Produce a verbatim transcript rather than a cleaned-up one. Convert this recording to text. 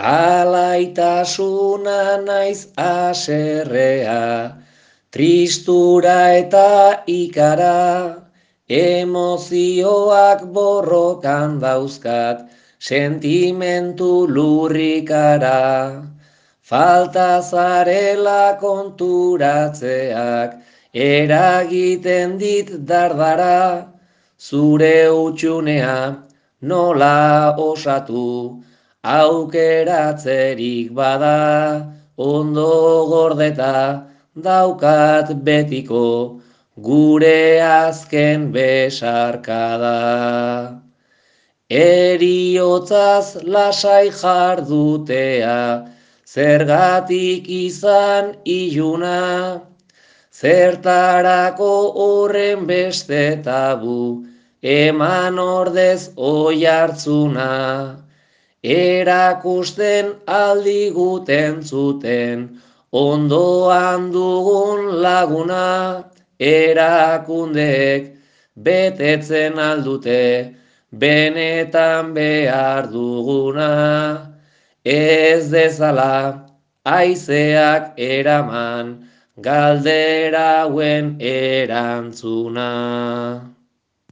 Alaitasuna naiz aserrea, tristura eta ikara, emozioak borrokan dauzkat, sentimentu lurrikara. Falta zarela konturatzeak, eragiten dit dardara, zure utxunea nola osatu, aukeratzerik bada, ondo gordeta daukat betiko, gure azken besarkada. Eriotzaz lasai jardutea, zergatik izan iluna, zertarako horren beste tabu, eman ordez oihartzuna. Erakusten aldiguten zuten, ondoan dugun laguna, erakundeek betetzen aldute, benetan behar duguna. Ez dezala haizeak eraman, galdera hauen erantzuna.